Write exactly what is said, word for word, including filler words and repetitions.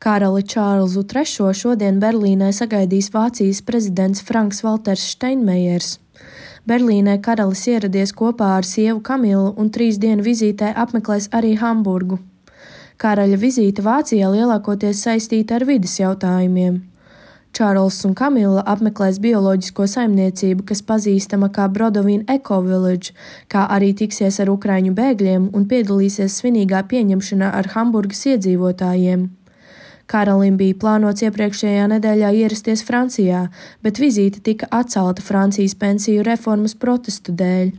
Karali Čārlzu trešo šodien Berlīnē sagaidīs Vācijas prezidents Franks Valters Steinmeiers. Berlīnē karalis ieradies kopā ar sievu Kamilu un trīs dienu vizītē apmeklēs arī Hamburgu. Karaļa vizīte Vācijā lielākoties saistīta ar vides jautājumiem. Čārlzs un Kamila apmeklēs bioloģisko saimniecību, kas pazīstama kā Brodovīn Eco Village, kā arī tiksies ar ukraiņu bēgļiem un piedalīsies svinīgā pieņemšanā ar Hamburgas iedzīvotājiem. Karalim bija plānots iepriekšējā nedēļā ierasties Francijā, bet vizīte tika atcelta Francijas pensiju reformas protestu dēļ.